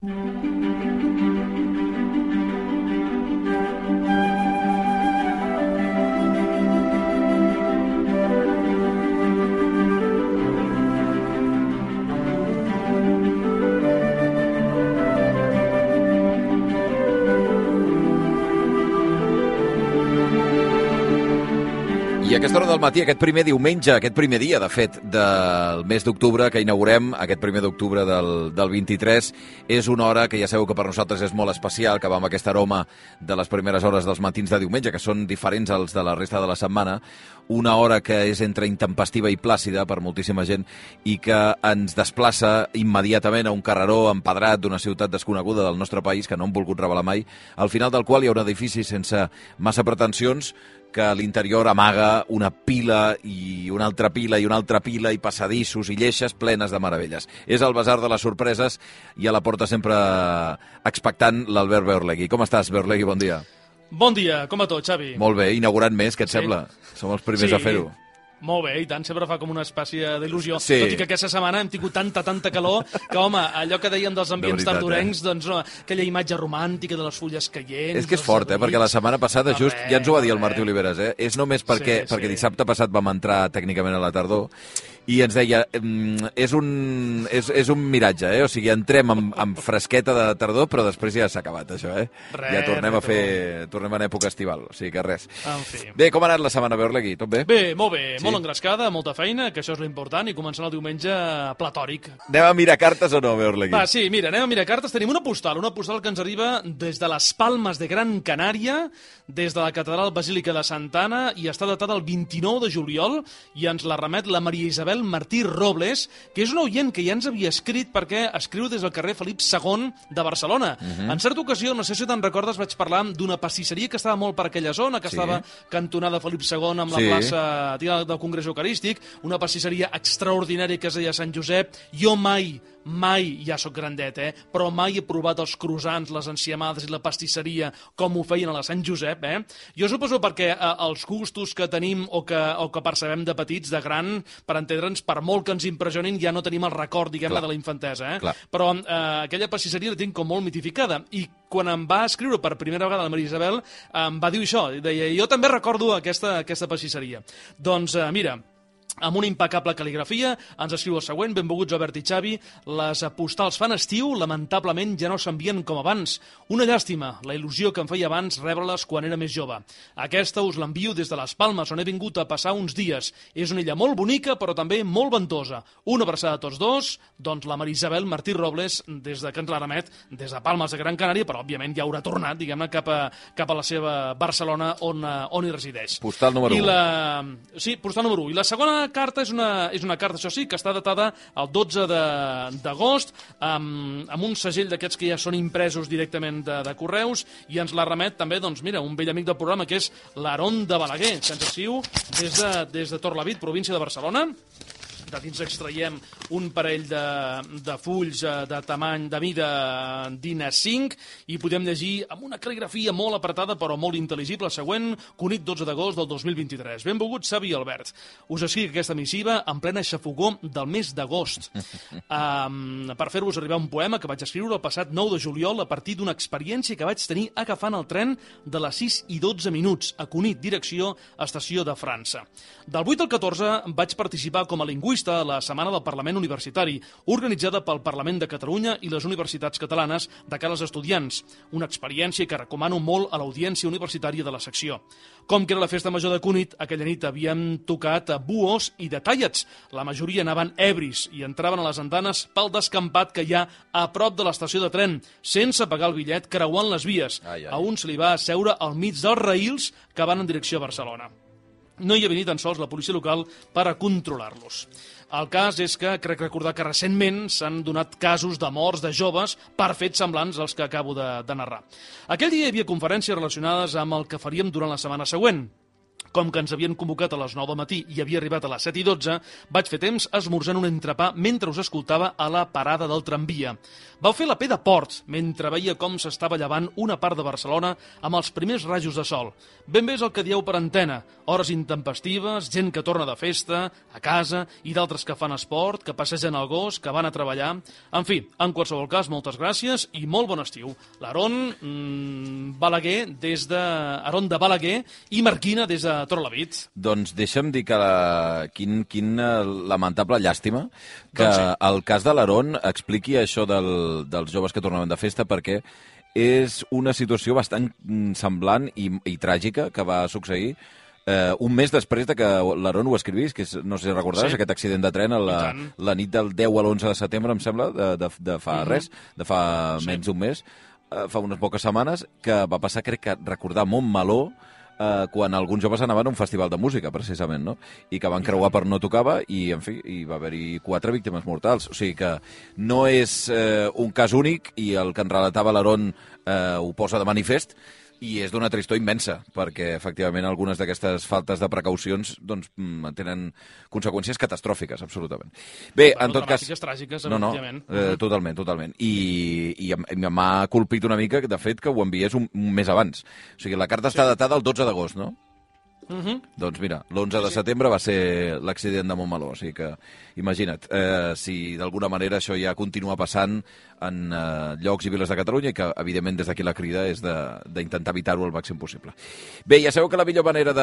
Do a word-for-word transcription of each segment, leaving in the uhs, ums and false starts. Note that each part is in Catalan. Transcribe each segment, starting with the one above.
I a aquesta hora del matí, aquest primer diumenge, aquest primer dia, de fet, del mes d'octubre que inaugurem, aquest primer d'octubre del, del vint-i-tres, és una hora que ja sabeu que per nosaltres és molt especial, que va amb aquest aroma de les primeres hores dels matins de diumenge, que són diferents als de la resta de la setmana, una hora que és entre intempestiva i plàcida per moltíssima gent i que ens desplaça immediatament a un carreró empedrat d'una ciutat desconeguda del nostre país, que no hem volgut revelar mai, al final del qual hi ha un edifici sense massa pretensions, que a l'interior amaga una pila i una altra pila i una altra pila i passadissos i lleixes plenes de meravelles. És el Basar de les Sorpreses i a la porta sempre expectant l'Albert Beorlegui. Com estàs, Beorlegui? Bon dia. Bon dia, com va tot, Xavi? Molt bé, inaugurant més, què et Sí. sembla? Som els primers Sí. a fer-ho. Molt bé, i tant, sempre fa com una espècie d'il·lusió. Sí. Tot i que aquesta setmana hem tingut tanta, tanta calor que, home, allò que dèiem dels ambients De veritat, tardorencs, eh? doncs no, aquella imatge romàntica de les fulles caient... És que és fort, eh? Perquè la setmana passada, just, ja ens ho va dir el Martí Oliveres, eh? És només perquè, Sí, sí. perquè dissabte passat vam entrar tècnicament a la tardor i ens deia, mm, és un, és, és un miratge, eh? O sigui, entrem amb, amb fresqueta de tardor, però després ja s'ha acabat, això, eh? Res, ja tornem a res, fer... Tornem en època estival, o sigui que res. En fi. Bé, com ha anat la setmana, Beorlegui? Tot bé? Bé, molt bé, Sí? molt engrescada, molta feina, que això és l'important, i començant el diumenge platòric. Anem a mirar cartes o no, Beorlegui? Va, sí, mira, anem a mirar cartes. Tenim una postal, una postal que ens arriba des de les Palmes de Gran Canària, des de la Catedral Basílica de Santa Anna, i està datada el vint-i-nou de juliol, i ens la remet la Maria Isabel Martí Robles, que és un oient que ja ens havia escrit perquè escriu des del carrer Felip segon de Barcelona. Uh -huh. En certa ocasió, no sé si te'n recordes, vaig parlar d'una pastisseria que estava molt per aquella zona, que Sí. estava cantonada Felip segon amb la Sí. plaça del Congrés Eucarístic, una pastisseria extraordinària que es deia Sant Josep. Jo mai, mai, ja sóc grandet, eh? però mai he provat els croissants, les enciamades i la pastisseria com ho feien a la Sant Josep. Eh? Jo suposo perquè eh, els gustos que tenim o que, o que percebem de petits, de gran, per entendre'ns, per molt que ens impressionin, ja no tenim el record, diguem-ne, de la infantesa. Eh? Clar. Però eh, aquella pastisseria la tinc com molt mitificada. I quan em va escriure per primera vegada la Maria Isabel, em va dir això. Deia, jo també recordo aquesta, aquesta pastisseria. Doncs, eh, mira, amb una impecable cal·ligrafia, ens escriu el següent: benvolguts Albert i Xavi, les postals fan estiu, lamentablement ja no s'envien com abans. Una llàstima, la il·lusió que em feia abans rebre-les quan era més jove. Aquesta us l'envio des de les Palmes, on he vingut a passar uns dies. És una illa molt bonica, però també molt ventosa. Una abraçada a tots dos, doncs la Maria Isabel Martí Robles, des de que ens la remet, des de Palmes de Gran Canària, però òbviament ja haurà tornat, diguem-ne, cap a, cap a la seva Barcelona, on, on hi resideix. Postal número I u. la... Sí, postal número u. I la segona carta és una, és una carta, això sí, que està datada el dotze d'agost, amb, amb un segell d'aquests que ja són impresos directament de, de correus, i ens la remet també, doncs mira, un vell amic del programa, que és l'Aron de Balaguer, que ens escriu des de, des de Torlavit, província de Barcelona. De dins extraiem un parell de, de fulls de tamany, de mida d'I N A cinc, i podem llegir amb una cal·ligrafia molt apretada però molt intel·ligible, següent: Cunit, dotze d'agost del dos mil vint-i-tres. Benvolgut Xavi i Albert. Us escric aquesta missiva en plena xafogó del mes d'agost. Um, per fer-vos arribar un poema que vaig escriure el passat nou de juliol a partir d'una experiència que vaig tenir agafant el tren de les sis i dotze minuts a Cunit, direcció Estació de França. Del vuit al catorze vaig participar com a lingüista a la Setmana del Parlament Universitari, organitzada pel Parlament de Catalunya i les universitats catalanes de cara als estudiants. Una experiència que recomano molt a l'audiència universitària de la secció. Com que era la festa major de Cunit, aquella nit havíem tocat a buos i detallats. La majoria anaven ebris i entraven a les andanes pel descampat que hi ha a prop de l'estació de tren, sense pagar el bitllet, creuant les vies. Ai, ai. A un se li va asseure al mig dels raïls que van en direcció a Barcelona. No hi havia ni tan sols la policia local per a controlar-los. El cas és que crec recordar que recentment s'han donat casos de morts de joves per fets semblants als que acabo de, de narrar. Aquell dia hi havia conferències relacionades amb el que faríem durant la setmana següent. Com que ens havien convocat a les nou del matí i havia arribat a les set i dotze, vaig fer temps esmorzant un entrepà mentre us escoltava a la parada del tramvia. Vau fer la P de Port, mentre veia com s'estava llevant una part de Barcelona amb els primers rajos de sol. Ben bé és el que dieu per antena, hores intempestives, gent que torna de festa, a casa, i d'altres que fan esport, que passegen el gos, que van a treballar... En fi, en qualsevol cas, moltes gràcies i molt bon estiu. L'Aaron mmm, Balaguer des de... Aaron de Balaguer i Marquina des de Torrelavit. Doncs deixa'm dir que la... quin, quin lamentable llàstima que doncs sí. El cas de l'Aaron expliqui això del, dels joves que tornaven de festa, perquè és una situació bastant semblant i, i tràgica que va succeir eh, un mes després de que l'Aaron ho escrivís, que és, no sé si recordaràs, sí. Aquest accident de tren a la, la nit del deu a l'onze de setembre, em sembla, de, de, de fa uh-huh. res, de fa sí. menys d'un mes, eh, fa unes poques setmanes, que va passar, crec que recordar Montmeló, eh, quan alguns joves anaven a un festival de música, precisament, no? I que van creuar per no tocava i, en fi, hi va haver-hi quatre víctimes mortals. O sigui que no és eh, un cas únic i el que en relatava l'Aaron eh, ho posa de manifest, i és d'una tristor immensa, perquè, efectivament, algunes d'aquestes faltes de precaucions doncs, tenen conseqüències catastròfiques, absolutament. Bé, bueno, en tot cas... tràgiques, no, no, eh, totalment, totalment. I, i m'ha colpit una mica, de fet, que ho enviés un, un mes abans. O sigui, la carta sí. està datada el dotze d'agost, no? Uh-huh. Doncs mira, l'onze de setembre va ser l'accident de Montmeló, o sigui que imagina't eh, si d'alguna manera això ja continua passant en eh, llocs i viles de Catalunya i que evidentment des d'aquí la crida és d'intentar de, evitar-ho al màxim possible. Bé, ja sabeu que la millor manera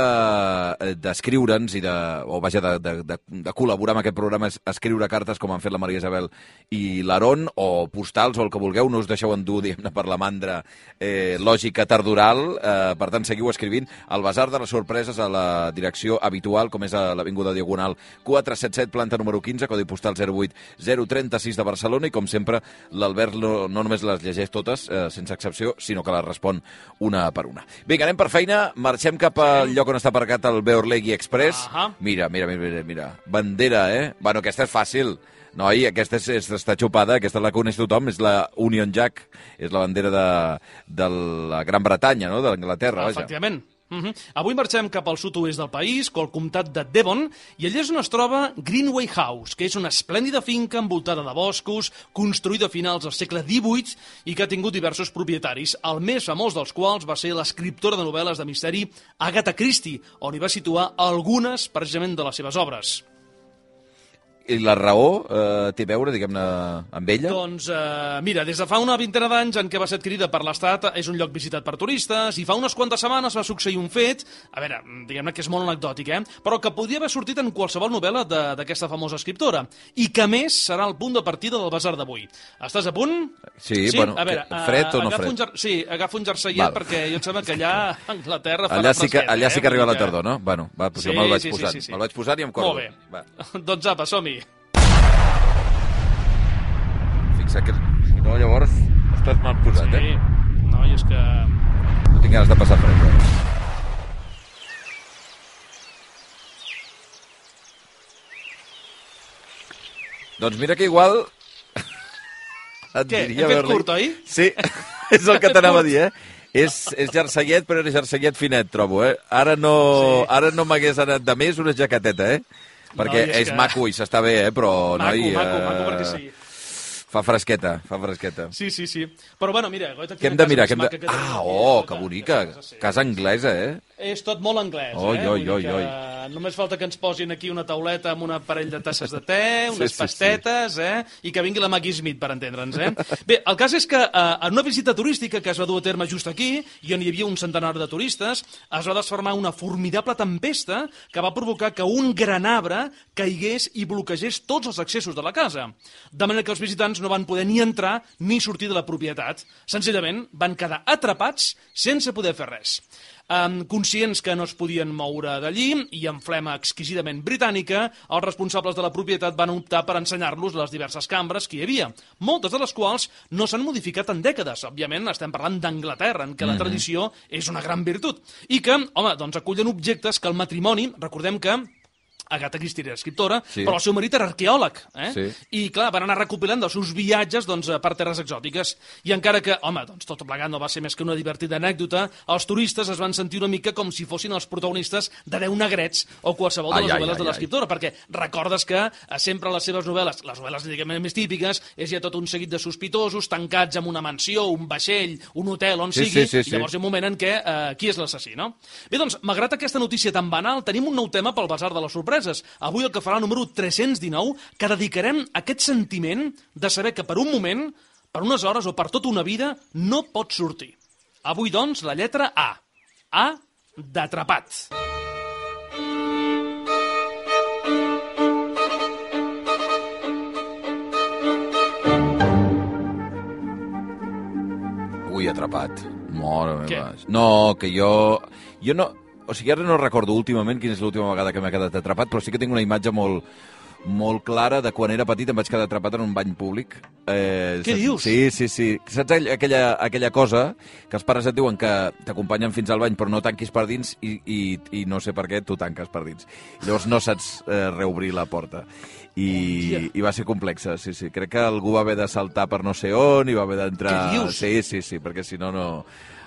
d'escriure'ns de, i de, o vaja, de, de, de, de col·laborar amb aquest programa és escriure cartes com han fet la Maria Isabel i l'Aaron, o postals o el que vulgueu, no us deixeu endur, diguem-ne, per la mandra eh, lògica tardoral, eh, per tant seguiu escrivint al Basar de les Sorpreses a la direcció habitual, com és a l'Avinguda Diagonal quatre cents setanta set, planta número quinze, codi postal zero vuit zero trenta sis de Barcelona, i com sempre l'Albert no, no només les llegeix totes, eh, sense excepció, sinó que les respon una per una. Vinga, anem per feina, marxem cap al lloc on està aparcat el Beorlegui Express. Uh-huh. Mira, mira, mira, mira, bandera, eh? Bueno, aquesta és fàcil. Noi, aquesta és, és, està xupada, aquesta la coneix tothom, és la Union Jack, és la bandera de, de la Gran Bretanya, no?, de l'Anglaterra, vaja. Efectivament. Uh-huh. Avui marxem cap al sud-oest del país, al comtat de Devon, i allà és on es troba Greenway House, que és una esplèndida finca envoltada de boscos, construïda a finals del segle divuit i que ha tingut diversos propietaris, el més famós dels quals va ser l'escriptora de novel·les de misteri Agatha Christie, on hi va situar algunes, precisament, de les seves obres. I la raó eh, té a veure, diguem-ne, amb ella? Doncs, eh, mira, des de fa una vintena d'anys en què va ser adquirida per l'Estat, és un lloc visitat per turistes, i fa unes quantes setmanes va succeir un fet, a veure, diguem-ne que és molt anecdòtic, eh? Però que podria haver sortit en qualsevol novel·la d'aquesta famosa escriptora, i que, més, serà el punt de partida del basar d'avui. Estàs a punt? Sí, sí? bueno, a veure, fred o no fred? Un jar... Sí, agafa un jerseillet, Val. perquè jo em sembla que allà a Anglaterra farà allà sí que, fred, allà eh? sí que arriba la tardor, no? Bueno, va, doncs sí, jo me'l vaig sí, posant. Sí, sí, sí. Me'l vaig posant i em cordo. Molt bé. Va. Doncs apa, som-hi. Que, si no, llavors estàs mal posat, sí. eh? No, i és que... No tinc ganes de passar fred, eh? Doncs mira que igual... Et Què? diria Hem fet curt, oi? Sí, és el que t'anava a dir, eh? És, és jerseillet, però és jerseillet finet, trobo, eh? Ara no, sí. ara no m'hagués anat de més una jaqueteta, eh? Perquè no, és, és que... maco i s'està bé, eh? Però, maco, noi, maco, eh... maco, perquè sí. Fa fresqueta, fa fresqueta. Sí, sí, sí. Però bueno, mira... Què hem de mirar? Hem de... Ah, oh, que bonica. Casa anglesa, eh? És tot molt anglès, oi, eh? Oi, oi, oi. Només falta que ens posin aquí una tauleta amb una parell de tasses de te, unes sí, sí, pastetes, sí. eh? I que vingui la Maggie Smith, per entendre'ns, eh? Bé, el cas és que eh, en una visita turística que es va dur a terme just aquí, i on hi havia un centenar de turistes, es va desfermar una formidable tempesta que va provocar que un gran arbre caigués i bloquegés tots els accessos de la casa. De manera que els visitants no van poder ni entrar ni sortir de la propietat. Senzillament van quedar atrapats sense poder fer res. Um, conscients que no es podien moure d'allí i amb flema exquisidament britànica, els responsables de la propietat van optar per ensenyar-los les diverses cambres que hi havia, moltes de les quals no s'han modificat en dècades. Òbviament estem parlant d'Anglaterra, en què la tradició és una gran virtut. I que, home, doncs acullen objectes que el matrimoni, recordem que Agatha Christie era escriptora, sí. però el seu marit era arqueòleg, eh? Sí. I, clar, van anar recopilant dels seus viatges doncs, per terres exòtiques. I encara que, home, doncs, tot plegat no va ser més que una divertida anècdota, els turistes es van sentir una mica com si fossin els protagonistes de Deu negrets o qualsevol de les ai, novel·les ai, de l'escriptora, perquè recordes que sempre les seves novel·les, les novel·les diguem més típiques, és ja tot un seguit de sospitosos tancats en una mansió, un vaixell, un hotel, on sí, sigui, sí, sí, sí. i llavors hi ha un moment en què eh, qui és l'assassí, no? Bé, doncs, malgrat aquesta notícia tan banal, tenim un nou tema pel Basar de les Sorpreses. Avui el que farà el número tres-cents dinou, que dedicarem a aquest sentiment de saber que per un moment, per unes hores o per tota una vida, no pot sortir. Avui, doncs, la lletra A. A d'atrapat. Ui, atrapat. Mare Què? meva. No, que jo... Jo no... O sigui, ara no recordo últimament quina és l'última vegada que m'he quedat atrapat, però sí que tinc una imatge molt, molt clara de quan era petit em vaig quedar atrapat en un bany públic. Eh, Què saps? dius? Sí, sí, sí. Saps aquella, aquella cosa que els pares et diuen que t'acompanyen fins al bany però no tanquis per dins i, i, i no sé per què tu tanques per dins. Llavors no saps eh, reobrir la porta. I, i va ser complexa, sí, sí. Crec que algú va haver de saltar per no sé on i va haver d'entrar... Què dius? Sí, sí, sí, perquè si no, no...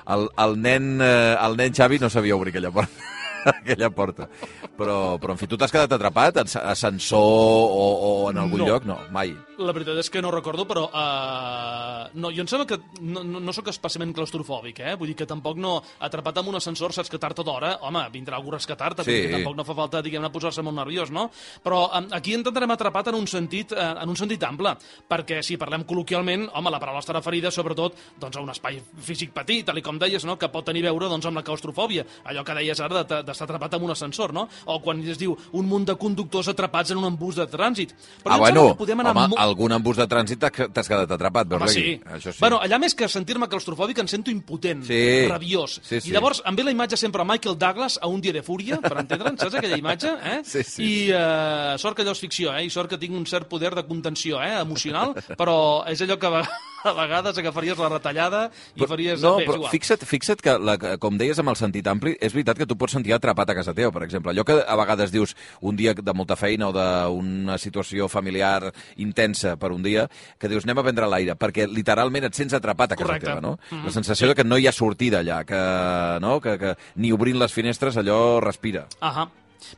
El, el, nen, eh, el nen Xavi no sabia obrir aquella porta. aquella porta. Però, però, en fi, tu t'has quedat atrapat en ascensor o, o en algun No. lloc? No, mai. La veritat és que no recordo, però uh, no, jo em sembla que no, no, no sóc especialment claustrofòbic, eh? Vull dir que tampoc no... Atrapat en un ascensor, saps que tard o d'hora, home, vindrà algú a rescatar-te, Sí. sí. Tampoc no fa falta, diguem-ne, posar-se molt nerviós, no? Però um, aquí intentarem atrapat en un sentit uh, en un sentit ample, perquè si parlem col·loquialment, home, la paraula està referida sobretot doncs, a un espai físic petit, tal i com deies, no? Que pot tenir a veure doncs, amb la claustrofòbia, allò que deies ara de- d'estar atrapat en un ascensor, no? O quan es diu un munt de conductors atrapats en un embús de trànsit. Però Ah, jo em bueno, sembla que podem anar home, molt- algun embús de trànsit t'has t'has quedat atrapat, veus Home, aquí? sí. Això sí. Bueno, allà més que sentir-me claustrofòbic em sento impotent, Sí. rabiós. Sí, sí. I llavors em ve la imatge sempre a Michael Douglas a Un dia de fúria, per entendre'n, saps aquella imatge? Eh? Sí, sí. I uh, sort que allò és ficció, eh? I sort que tinc un cert poder de contenció eh? emocional, però és allò que a vegades a vegades agafaries la retallada i faries... No, Bé, és però igual. fixa't, fixa't que, la, com deies amb el sentit ampli, és veritat que tu pots sentir atrapat a casa teva, per exemple. Allò que a vegades dius un dia de molta feina o d'una situació familiar intensa per un dia, que dius anem a prendre l'aire, perquè literalment et sents atrapat a casa Correcte. teva, no? Mhm. La sensació de que no hi ha sortida allà, que, no? que, que ni obrint les finestres allò respira. Ahà.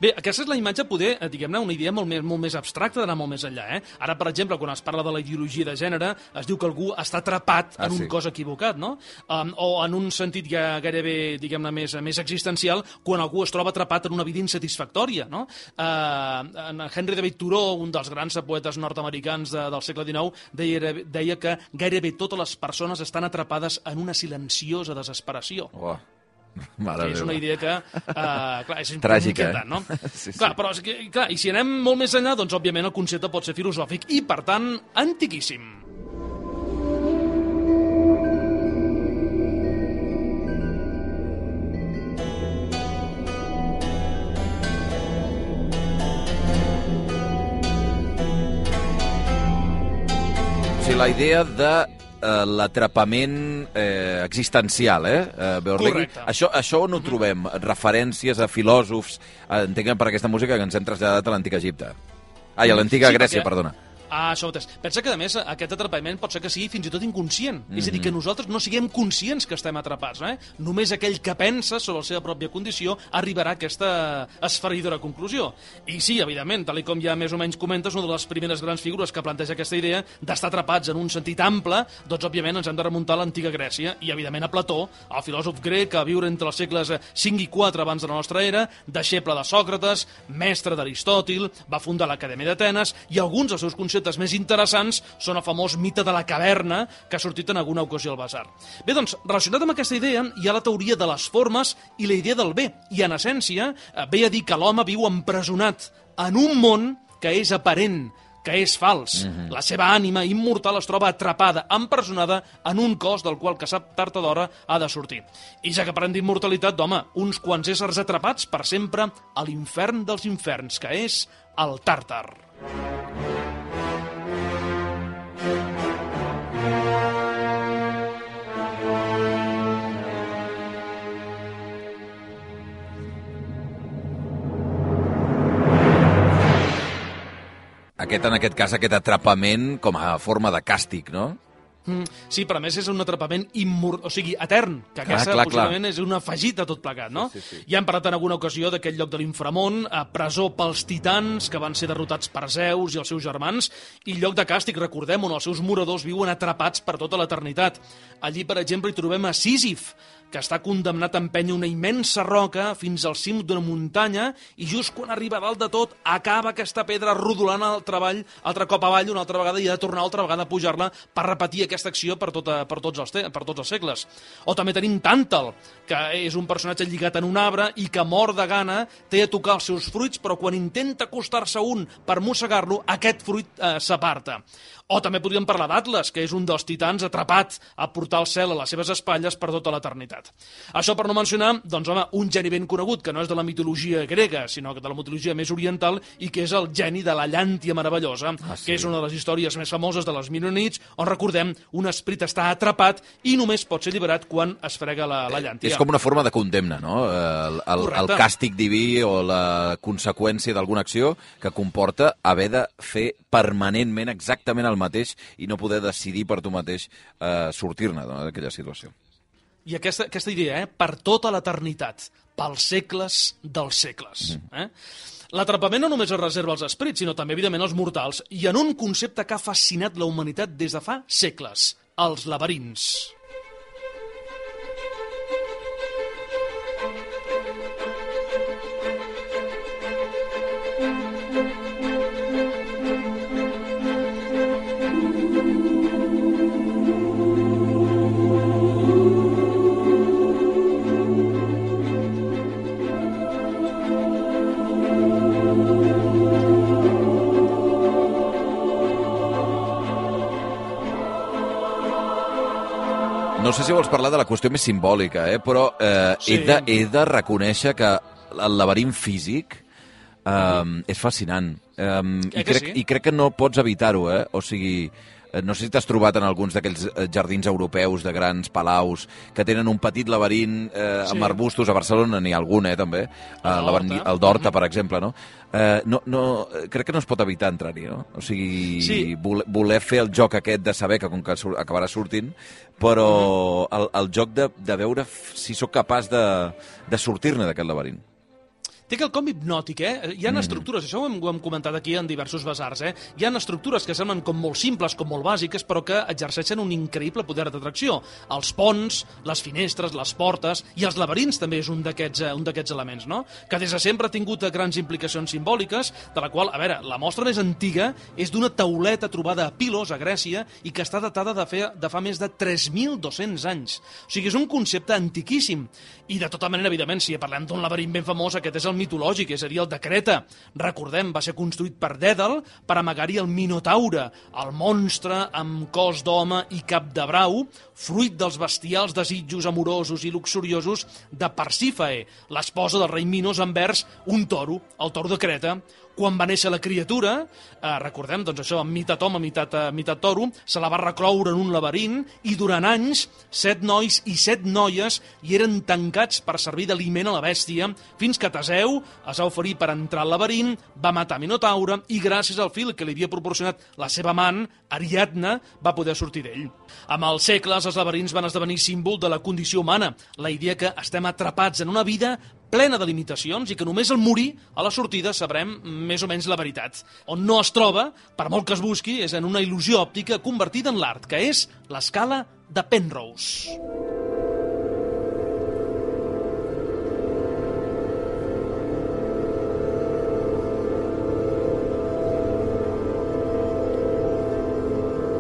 Bé, aquesta és la imatge, poder, eh, diguem-ne, una idea molt més, molt més abstracta, d'anar molt més enllà. Eh? Ara, per exemple, quan es parla de la ideologia de gènere, es diu que algú està atrapat Ah, en un sí. cos equivocat, no? Um, o en un sentit ja gairebé, diguem-ne, més, més existencial, quan algú es troba atrapat en una vida insatisfactòria, no? Uh, en Henry David Thoreau, un dels grans poetes nord-americans de, del segle dinou, deia, deia que gairebé totes les persones estan atrapades en una silenciosa desesperació. Oh. Mare Que és meva. una idea que, uh, clar, és Tràgica, inquietant, no? Sí, sí. Clar, però, és que, clar, i si anem molt més enllà, doncs, òbviament, el concepte pot ser filosòfic i, per tant, antiquíssim. O sigui, la idea de eh, l'atrapament eh, existencial, eh? eh Beorlegui. Correcte. Això, això on ho trobem? Referències a filòsofs, eh, entenc que per aquesta música que ens hem traslladat a l'antic Egipte. Ai, a l'antiga Sí, Grècia, perquè- perdona. Ah, això mateix. Pensa que, a més, aquest atrapament pot ser que sigui fins i tot inconscient. Mm -hmm. És a dir, que nosaltres no siguem conscients que estem atrapats. Eh? Només aquell que pensa sobre la seva pròpia condició arribarà a aquesta esfereïdora conclusió. I sí, evidentment, tal com ja més o menys comentes, una de les primeres grans figures que planteja aquesta idea d'estar atrapats en un sentit ample, doncs, òbviament, ens hem de remuntar a l'antiga Grècia i, evidentment, a Plató, el filòsof grec que va viure entre els segles cinc i quatre abans de la nostra era, deixeble de Sòcrates, mestre d'Aristòtil, va fundar l'Acadèmia d'Atenes i alguns dels seus conceptes més interessants són el famós mite de la caverna que ha sortit en alguna ocasió al Basar. Bé, doncs, relacionat amb aquesta idea hi ha la teoria de les formes i la idea del bé. I, en essència, eh, ve a dir que l'home viu empresonat en un món que és aparent, que és fals. Mm-hmm. La seva ànima immortal es troba atrapada, empresonada en un cos del qual que sap tard o d'hora ha de sortir. I ja que parlem d'immortalitat, home, uns quants éssers atrapats per sempre a l'infern dels inferns, que és el Tàrtar. aquest, en aquest cas, aquest atrapament com a forma de càstig, no? Mm, sí, però a més és un atrapament immor... o sigui, etern, que clar, aquesta clar, possiblement clar. és un afegit de tot plegat, no? Sí, sí, sí. Ja hem parlat en alguna ocasió d'aquest lloc de l'inframont, a presó pels titans, que van ser derrotats per Zeus i els seus germans, i lloc de càstig, recordem, on els seus moradors viuen atrapats per tota l'eternitat. Allí, per exemple, hi trobem a Sísif, que està condemnat a empènyer una immensa roca fins al cim d'una muntanya i just quan arriba a dalt de tot acaba aquesta pedra rodolant altre, avall, altre cop avall una altra vegada i ha de tornar altra vegada a pujar-la per repetir aquesta acció per, tota, per, tots els te per tots els segles. O també tenim Tàntal, que és un personatge lligat en un arbre i que mor de gana, té a tocar els seus fruits, però quan intenta acostar-se un per mossegar-lo, aquest fruit eh, s'aparta. O també podríem parlar d'Atlas, que és un dels titans atrapat a portar el cel a les seves espatlles per tota l'eternitat. Això per no mencionar, doncs, home, un geni ben conegut, que no és de la mitologia grega, sinó de la mitologia més oriental, i que és el geni de la llàntia meravellosa, ah, sí. que és una de les històries més famoses de les mil i una nits, on, recordem, un esperit està atrapat i només pot ser alliberat quan es frega la, la llàntia. És com una forma de condemna, no? El, el, el càstig diví o la conseqüència d'alguna acció que comporta haver de fer permanentment exactament el mateix i no poder decidir per tu mateix eh, sortir-ne d'aquella situació. I aquesta, aquesta idea, eh? Per tota l'eternitat, pels segles dels segles. Mm. Eh? L'atrapament no només es reserva als esperits, sinó també, evidentment, als mortals, i en un concepte que ha fascinat la humanitat des de fa segles, els laberints. No sé si vols parlar de la qüestió més simbòlica, eh? però eh, sí. he, de, he de reconèixer que el laberint físic eh, uh-huh. és fascinant. Eh, i, crec, sí? I crec que no pots evitar-ho, eh? O sigui, no sé si t'has trobat en alguns d'aquells jardins europeus de grans palaus que tenen un petit laberint eh, sí. amb arbustos. A Barcelona n'hi ha algun, eh, també. El, el d'Horta, per exemple, no? Eh, no, no? Crec que no es pot evitar entrar-hi, no? O sigui, sí. voler, voler fer el joc aquest de saber que com que acabarà sortint, però uh-huh. el, el joc de, de veure si sóc capaç de, de sortir-ne d'aquest laberint. Té quelcom hipnòtic, eh? Hi ha mm. estructures, això ho hem, ho hem comentat aquí en diversos basars, eh? Hi ha estructures que semblen com molt simples, com molt bàsiques, però que exerceixen un increïble poder d'atracció. Els ponts, les finestres, les portes, i els laberints també és un d'aquests un d'aquests elements, no? Que des de sempre ha tingut grans implicacions simbòliques, de la qual, a veure, la mostra més antiga és d'una tauleta trobada a Pilos, a Grècia, i que està datada de, fer, de fa més de tres mil dos-cents anys. O sigui, és un concepte antiquíssim. I de tota manera, evidentment, si parlem d'un laberint ben famós, aquest és el mitològic, és a dir, el de Creta. Recordem, va ser construït per Dèdal per amagar-hi el Minotaure, el monstre amb cos d'home i cap de brau, fruit dels bestials desitjos amorosos i luxuriosos de Persífae, l'esposa del rei Minos envers un toro, el toro de Creta. Quan va néixer la criatura, eh, recordem, doncs això, meitat home, meitat, eh, meitat toro, se la va recloure en un laberint i durant anys, set nois i set noies hi eren tancats per servir d'aliment a la bèstia, fins que Teseu es va oferir per entrar al laberint, va matar Minotaure i gràcies al fil que li havia proporcionat la seva amant, Ariadna, va poder sortir d'ell. Amb els segles, els laberints van esdevenir símbol de la condició humana, la idea que estem atrapats en una vida plena de limitacions i que només al morir, a la sortida, sabrem més o menys la veritat. On no es troba, per molt que es busqui, és en una il·lusió òptica convertida en l'art, que és l'escala de Penrose.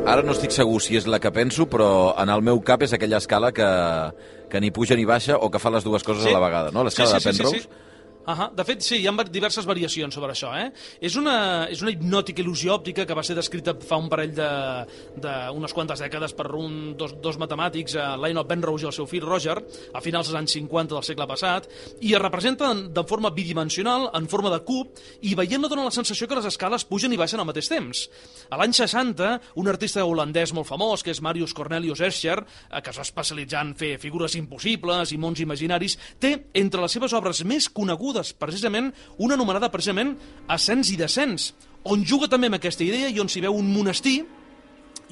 Ara no estic segur si és la que penso, però en el meu cap és aquella escala que, que ni puja ni baixa o que fa les dues coses sí. a la vegada, no? L'escala sí, sí, de Penrose. Sí, sí, sí. Uh-huh. De fet, sí, hi ha diverses variacions sobre això. Eh? És, una, és una hipnòtica il·lusió òptica que va ser descrita fa un parell d'unes quantes dècades per un, dos, dos matemàtics, eh, Lionel Penrose i el seu fill Roger, a finals dels anys cinquanta del segle passat, i es representa de forma bidimensional, en forma de cub, i veient-la dona la sensació que les escales pugen i baixen al mateix temps. A l'any seixanta, un artista holandès molt famós, que és Marius Cornelius Escher, eh, que es va especialitzar en fer figures impossibles i mons imaginaris, té entre les seves obres més conegudes precisament una anomenada precisament Ascens i Descens, on juga també amb aquesta idea i on s'hi veu un monestir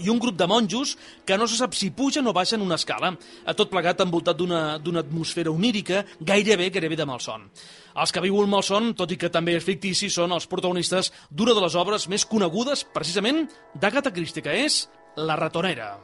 i un grup de monjos que no se sap si pugen o baixen una escala, a tot plegat envoltat d'una d'una atmosfera onírica, gairebé, gairebé de malson. Els que viuen malson, tot i que també és fictici, són els protagonistes d'una de les obres més conegudes, precisament, d'Agatha Christie, que és La ratonera.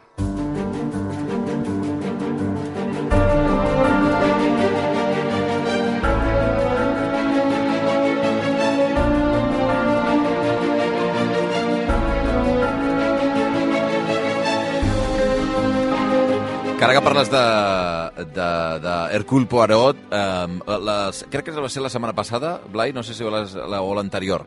Que ara que parles de, de, de Hercule Poirot, eh, les, crec que va ser la setmana passada, Blai, no sé si les, la, o l'anterior,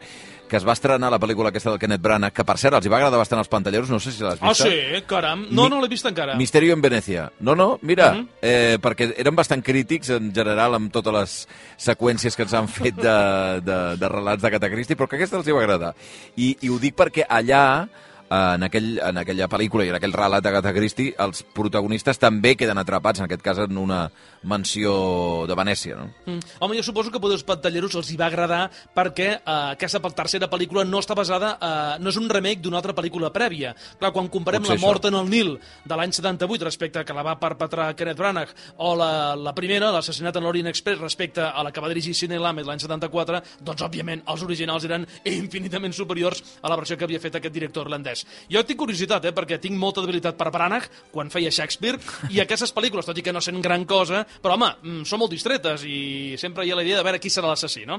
que es va estrenar la pel·lícula aquesta del Kenneth Branagh, que per cert els hi va agradar bastant els pantalleros, no sé si l'has vista. Ah, sí? Caram. No, Mi, no l'he vist encara. Misterio en Venècia. No, no, mira, uh -huh. eh, perquè eren bastant crítics en general amb totes les seqüències que ens han fet de, de, de relats d'Agatha Christie, però que aquesta els hi va agradar. I, i ho dic perquè allà, en, aquell, en aquella pel·lícula i en aquell relat d'Agatha Christie, els protagonistes també queden atrapats, en aquest cas en una mansió de Venècia, no? Mm. Home, jo suposo que a els pantalleros els hi va agradar perquè eh, aquesta tercera pel·lícula no està basada, eh, no és un remake d'una altra pel·lícula prèvia. Clar, quan comparem La mort en el Nil de l'any setanta-vuit respecte a que la va perpetrar Kenneth Branagh o la, la primera, l'Assassinat en l'Orient Express, respecte a la que va dirigir Sidney Lumet l'any setanta-quatre, doncs, òbviament, els originals eren infinitament superiors a la versió que havia fet aquest director irlandès. Jo tinc curiositat, eh, perquè tinc molta debilitat per Branagh quan feia Shakespeare, i aquestes pel·lícules, tot i que no sent gran cosa, però, home, són molt distretes i sempre hi ha la idea de veure qui serà l'assassí, no?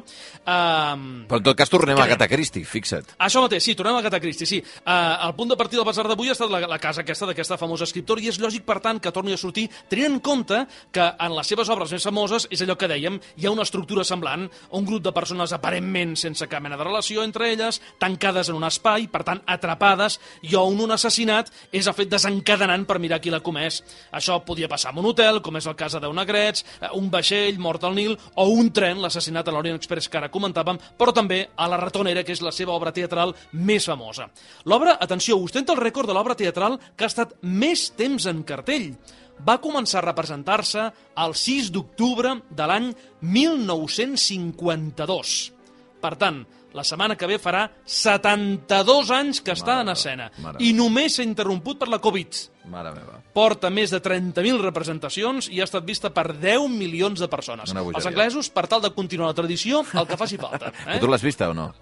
Um, però, en tot cas, tornem a Agatha Christie, fixa't. Això mateix, sí, tornem a Agatha Christie, sí. Uh, el punt de partida del basar d'avui ha estat la, la casa aquesta d'aquesta famosa escriptora, i és lògic, per tant, que torni a sortir, tenint en compte que en les seves obres més famoses és allò que dèiem, hi ha una estructura semblant, un grup de persones aparentment sense cap mena de relació entre elles, tancades en un espai, per tant, atrapades, i on un assassinat és el fet desencadenant per mirar qui l'ha comès. Això podia passar en un hotel, com és el cas de Deu Negrets, un vaixell mort al Nil, o un tren, l'assassinat a l'Orient Express que ara comentàvem, però també a La ratonera, que és la seva obra teatral més famosa. L'obra, atenció, ostenta el rècord de l'obra teatral que ha estat més temps en cartell. Va començar a representar-se el sis d'octubre de l'any mil nou-cents cinquanta-dos. Per tant, la setmana que ve farà setanta-dos anys que està en escena. I només s'ha interromput per la Covid. Mare meva. Porta més de trenta mil representacions i ha estat vista per deu milions de persones. Els anglesos, per tal de continuar la tradició, el que faci falta. Eh? Però tu l'has vista o no?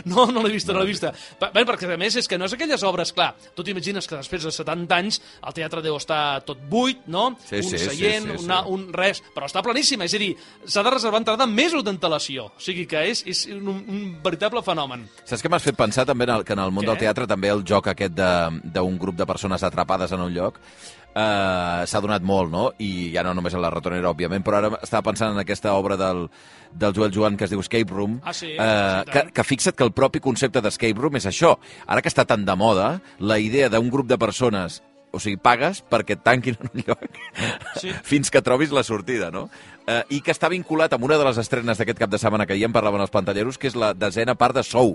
No, no l'he vista, no l'he vista. Bé, perquè a més és que no és aquelles obres, clar, tu t'imagines que després de setanta anys el teatre deu estar tot buit, no? Sí, un sí, seient, sí, sí, una, sí. un res, però està planíssima, és a dir, s'ha de reservar entrada amb mesos d'antelació, o sigui que és, és un, un veritable fenomen. Saps què m'has fet pensar també en el, que en el món Què? del teatre també el joc aquest d'un grup de persones atrapades en un lloc Uh, s'ha donat molt, no? I ja no només en La ratonera, òbviament, però ara estava pensant en aquesta obra del, del Joel Joan que es diu Escape Room, ah, sí, uh, sí, que, que fixa't que el propi concepte d'Escape Room és això. Ara que està tan de moda, la idea d'un grup de persones, o sigui, pagues perquè et tanquin en un lloc sí. fins que trobis la sortida, no? Uh, I que està vinculat amb una de les estrenes d'aquest cap de setmana que ja en parlaven els pantalleros, que és la desena part de Sou.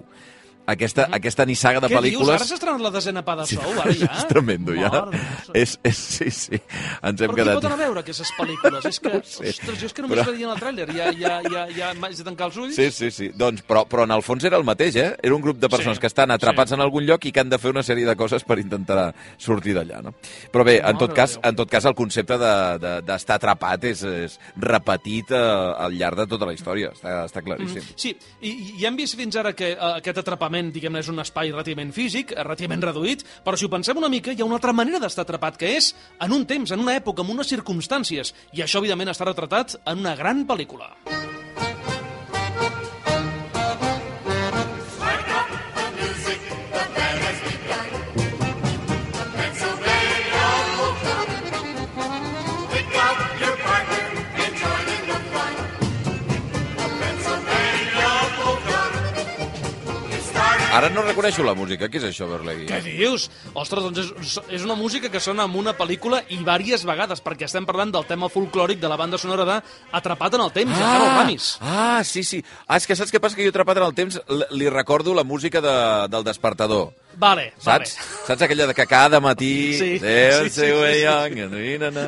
Aquesta, mm -hmm. aquesta nissaga de Què pel·lícules... Què dius? Ara s'ha estrenat la desena part de Sou, ara ja? És tremendo, ja. És, és, sí, sí. Ens hem Però quedat... qui pot anar a veure aquestes pel·lícules? És que, no sé. ostres, jo és que només però... veient el tràiler, ja, ja, ja, ja m'haig de tancar els ulls. Sí, sí, sí. Doncs, però, però en el fons era el mateix, eh? Era un grup de persones sí, que estan atrapats sí. en algun lloc i que han de fer una sèrie de coses per intentar sortir d'allà, no? Però bé, en tot, cas, en tot cas, el concepte d'estar de, de, atrapat és, és repetit uh, al llarg de tota la història. Està, està claríssim. Mm, sí, i, i hem vist fins ara que uh, aquest atrapament, diguem-ne, és un espai relativament físic, relativament reduït, però si ho pensem una mica, hi ha una altra manera d'estar atrapat, que és en un temps, en una època, en unes circumstàncies, i això, evidentment, està retratat en una gran pel·lícula. Ara no reconeixo la música. Què és això, Berlegui? Què dius? Ostres, doncs és, és una música que sona en una pel·lícula i diverses vegades, perquè estem parlant del tema folclòric de la banda sonora de Atrapat en el temps, ah, de Harold Ramis. Ah, sí, sí. Ah, és que saps què passa? Que jo Atrapat en el temps li recordo la música de, del Despertador. Vale, saps? vale. Saps aquella de que cada matí... Sí, sí, sí, sí, sí.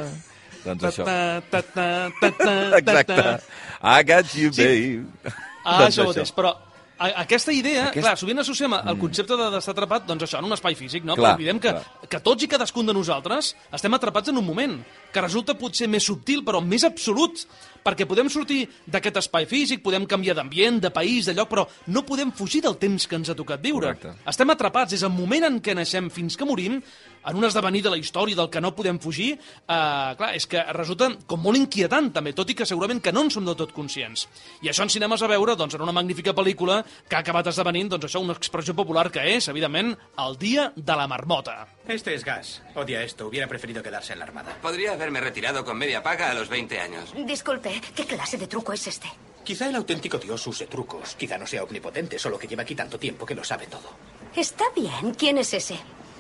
Doncs això. Ta, ta, ta, ta, ta, Exacte. I got you, sí. babe. Ah, doncs això mateix, però... Aquesta idea, Aquest... clar, sovint associem el concepte d'estar atrapat, doncs això, en un espai físic, no? Clar, Però oblidem que, que tots i cadascun de nosaltres estem atrapats en un moment, que resulta potser més subtil, però més absolut, perquè podem sortir d'aquest espai físic, podem canviar d'ambient, de país, de lloc, però no podem fugir del temps que ens ha tocat viure. Correcte. Estem atrapats, és el moment en què naixem fins que morim, en un esdevenir de la història del que no podem fugir, eh, clar, és que resulta com molt inquietant també, tot i que segurament que no en som del tot conscients. I això en cinemes a veure, doncs, en una magnífica pel·lícula que ha acabat esdevenint, doncs això, una expressió popular que és, evidentment, el dia de la marmota. Este es Gas. Odia esto. Hubiera preferido quedarse en la armada. Podría haberme retirado con media paga a los veinte años. Disculpe, ¿qué clase de truco es este? Quizá el auténtico dios use trucos. Quizá no sea omnipotente, solo que lleva aquí tanto tiempo que lo sabe todo. Está bien. ¿Quién es ese?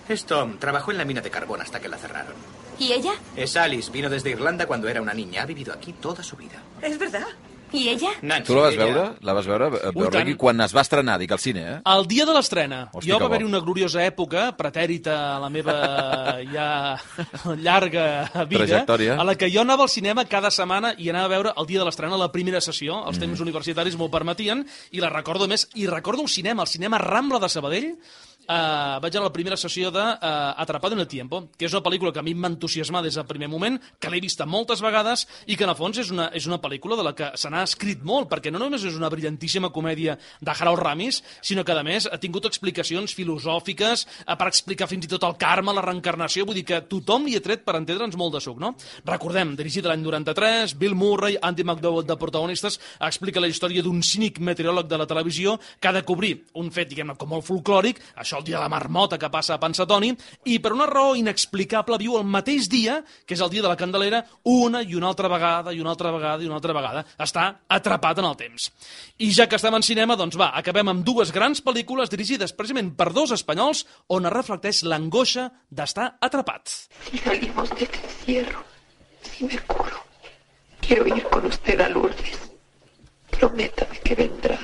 Es Tom. Trabajó en la mina de carbón hasta que la cerraron. ¿Y ella? Es Alice. Vino desde Irlanda cuando era una niña. Ha vivido aquí toda su vida. ¿Es verdad? ¿Y ella? Nancy, Tu la vas ella- veure? La vas veure? Veure quan es va estrenar, dic, al cine, eh? El dia de l'estrena. Hosti, Jo que va haver-hi bo. una gloriosa època, pretèrita a la meva ja llarga vida, Trajectòria. a la que jo anava al cinema cada setmana i anava a veure el dia de l'estrena, la primera sessió, els temps universitaris m'ho permetien, i la recordo més, i recordo un cinema, el cinema Rambla de Sabadell, Uh, vaig anar a la primera sessió de uh, Atrapado en el Tiempo, que és una pel·lícula que a mi em va entusiasmar des del primer moment, que l'he vista moltes vegades i que en el fons és una, és una pel·lícula de la que se n'ha escrit molt, perquè no només és una brillantíssima comèdia de Harold Ramis, sinó que a més ha tingut explicacions filosòfiques uh, per explicar fins i tot el karma, la reencarnació, vull dir que tothom li ha tret per entendre'ns molt de suc, no? Recordem, dirigit l'any noranta-tres, Bill Murray, Andy McDowell de protagonistes, explica la història d'un cínic meteoròleg de la televisió que ha de cobrir un fet, diguem-ne, com molt folclòric, això el dia de la marmota que passa a Pensatoni, i per una raó inexplicable viu el mateix dia, que és el dia de la Candelera, una i una altra vegada, i una altra vegada, i una altra vegada. Està atrapat en el temps. I ja que estem en cinema, doncs va, acabem amb dues grans pel·lícules dirigides precisament per dos espanyols on es reflecteix l'angoixa d'estar atrapat. Si salimos de este encierro, si me curo, quiero ir con usted a Lourdes. Prométame que vendrá.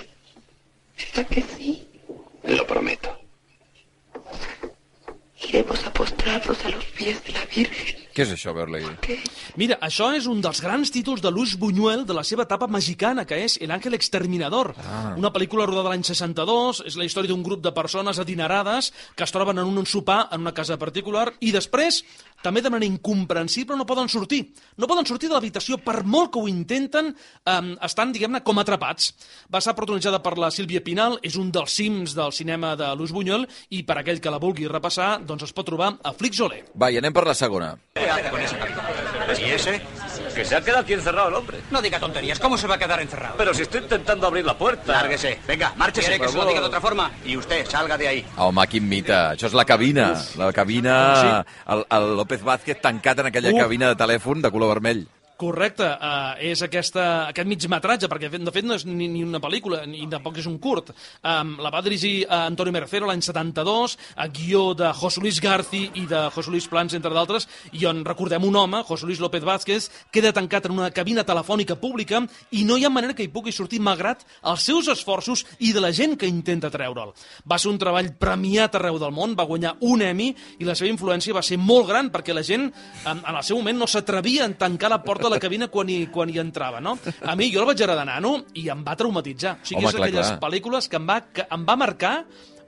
¿Verdad que sí? Lo prometo. Iremos a postrarnos a los pies de la Virgen. Què és això, Berlegui? ¿Qué? Mira, això és un dels grans títols de Luis Buñuel de la seva etapa mexicana, que és El Ángel Exterminador. Ah. Una pel·lícula rodada l'any seixanta-dos, és la història d'un grup de persones adinerades que es troben en un sopar en una casa particular i després, també de manera incomprensible, no poden sortir. No poden sortir de l'habitació, per molt que ho intenten, eh, estan, diguem-ne, com atrapats. Va ser protagonitzada per la Sílvia Pinal, és un dels cims del cinema de Luis Buñuel, i per aquell que la vulgui repassar, doncs es pot trobar a Flixolé. Va, i anem per la segona. ¿Y ese? Que se ha quedado aquí encerrado el hombre. No diga tonterías. ¿Cómo se va a quedar encerrado? Pero si estoy intentando abrir la puerta. Lárguese. Venga, márchese. ¿Quiere que se lo diga de otra forma? Y usted, salga de ahí. Home, quin mite. Això és la cabina. La cabina... El, el López Vázquez tancat en aquella Uf. cabina de telèfon de color vermell. Correcte, uh, és aquesta, aquest migmetratge, perquè de fet no és ni, ni una pel·lícula, ni tampoc és un curt. Um, la va dirigir uh, Antonio Mercero l'any setanta-dos, a guió de José Luis Garci i de José Luis Plans, entre d'altres, i on recordem un home, José Luis López Vázquez, queda tancat en una cabina telefònica pública i no hi ha manera que hi pugui sortir malgrat els seus esforços i de la gent que intenta treure'l. Va ser un treball premiat arreu del món, va guanyar un Emmy i la seva influència va ser molt gran perquè la gent en, en el seu moment no s'atrevia a tancar la porta de la cabina quan hi, quan hi entrava, no? A mi, jo el vaig agradar nano i em va traumatitzar. O sigui, Home, és clar, d'aquelles clar. pel·lícules que em va, que em va marcar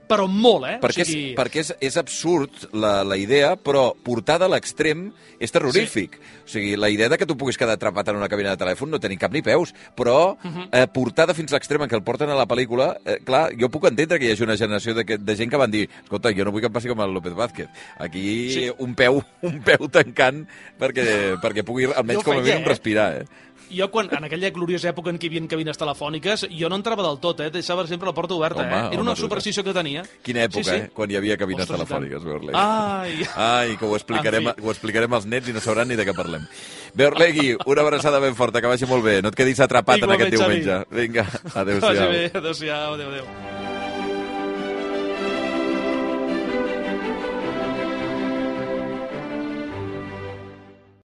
però molt, eh? Perquè, o sigui... és, perquè és, és absurd la, la idea, però portada a l'extrem és terrorífic. Sí. O sigui, la idea de que tu puguis quedar atrapat en una cabina de telèfon no té ni cap ni peus, però uh -huh. eh, portada fins a l'extrem en què el porten a la pel·lícula, eh, clar, jo puc entendre que hi hagi una generació de, que, de gent que van dir escolta, jo no vull que em passi com el López Vázquez. Aquí sí. un peu un peu tancant perquè, perquè pugui almenys com a mínim eh? respirar, eh? Jo, quan, en aquella gloriosa època en què hi havia cabines telefòniques, jo no entrava del tot, eh? Deixava sempre la porta oberta, Home, eh? Era home, una tu- superstició que tenia. Quina època, sí, sí. eh? Quan hi havia cabines Ostres, i tant. telefòniques, Beorlegui. Ai! Ai, que ho explicarem, En fi. ho explicarem als nets i no sabran ni de què parlem. Beorlegui, una abraçada ben forta, que vagi molt bé. No et quedis atrapat Igualment, en aquest Xavi. diumenge. Vinga, Que vagi adéu-siau. bé, adéu-siau, adéu-adéu.